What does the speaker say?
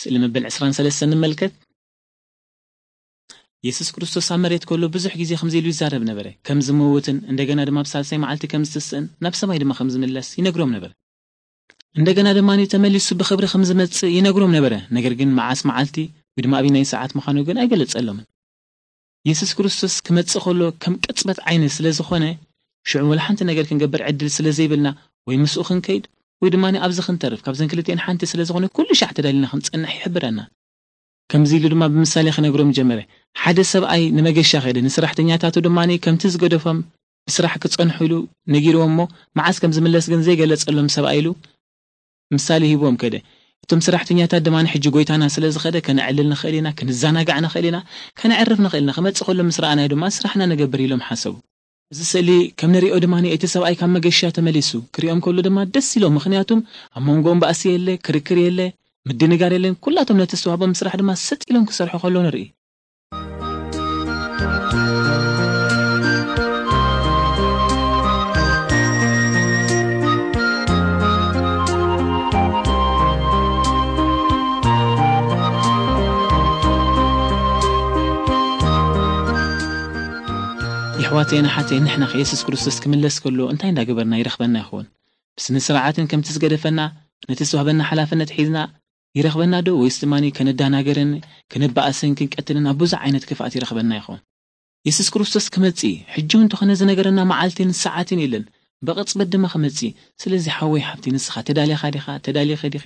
ስእሊ መበል ዕስራን ሰለስተን ንመልከት። የሱስ ክርስቶስ ኣብ መሬት ከሎ ብዙሕ ግዜ ከምዚ ኢሉ ይዛረብ ነበረ። ከም ዝመውትን እንደገና ድማ ኣብ ሳልሳይ መዓልቲ ከም ዝትስእን ናብ ሰማይ ድማ ከም ዝምለስ ይነግሮም ነበረ። እንደገና ድማ ተመሊሱ ብኽብሪ ከም ዝመጽእ ይነግሮም ነበረ። ነገር ግን መዓስ መዓልቲ ወይ ድማ ኣብናይ ሰዓት ምዃኑ ግን ኣይገለጸሎምን። የሱስ ክርስቶስ ክመጽእ ከሎ ከም ቅጽበት ዓይኒ ስለ ዝኾነ፣ ሽዑ ወላ ሓንቲ ነገር ክንገብር ዕድል ስለ ዘይብልና፣ ወይ ምስኡ ክንከይድ ወይ ድማ ኣብዚ ክንተርፍ፣ ካብዘን ክልቲኤን ሓንቲ ስለ ዝኾነ ኩሉ ሻዕ ተዳሊና ክንጸንሕ ይሕብረና። ከምዚ ኢሉ ድማ ብምሳሌ ክነግሮም ጀመረ። ሓደ ሰብኣይ ንመገሻ ከደ፣ ንሰራሕተኛታቱ ድማ ከምቲ ዝገደፎም ብስራሕ ክጸንሑ ኢሉ ነጊርዎም እሞ፣ መዓስ ከም ዝምለስ ግን ዘይገለጸሎም ሰብኣይ ኢሉ ምሳሌ ሂብዎም ከደ። እቶም ሰራሕተኛታት ድማ ሕጂ ጎይታና ስለ ዝኸደ ከነዕልል ንኽእል ኢና፣ ክንዘናጋዕ ንኽእል ኢና፣ ከነዕርፍ ንኽእል ኢና። ክመጽእ ከሎ ምስ ረኣናዮ ድማ ስራሕና ንገብር ኢሎም ሓሰቡ። እዚ ስእሊ ከም ንሪኦ ድማ እቲ ሰብኣይ ካብ መገሻ ተመሊሱ ክሪኦም ከሎ ድማ ደስ ኢሎም። ምኽንያቱም ኣብ መንጎኦም ባእሲ የለ፣ ክርክር የለ፣ ምድንጋር የለን። ኩላቶም ነቲ ዝተዋህቦም ስራሕ ድማ ሰጥ ኢሎም ክሰርሑ ከሎ ንርኢ። የሕዋተይን ኣሓተይን፣ ንሕና ከ የሱስ ክርስቶስ ክምለስ ከሎ እንታይ እንዳገበርና ይረኽበና ይኸውን? ብስነ ስርዓትን ከምቲ ዝገደፈና ነቲ ዝተዋህበና ሓላፍነት ሒዝና ይረኽበና ዶ? ወይስ ድማ ከነዳናገርን ከነባእስን ክንቀትልን ኣብ ብዙሕ ዓይነት ክፍኣት ይረኽበና ይኸውን? የሱስ ክርስቶስ ክመጽእ እዩ። ሕጂ እውን እንተኾነ ዝነገረና መዓልትን ሰዓትን የለን። ብቕጽበት ድማ ክመጽእ እዩ። ስለዚ ሓወይ ሓብቲ፣ ንስኻ ተዳሊኻ ዲኻ? ተዳሊኺ ዲኺ?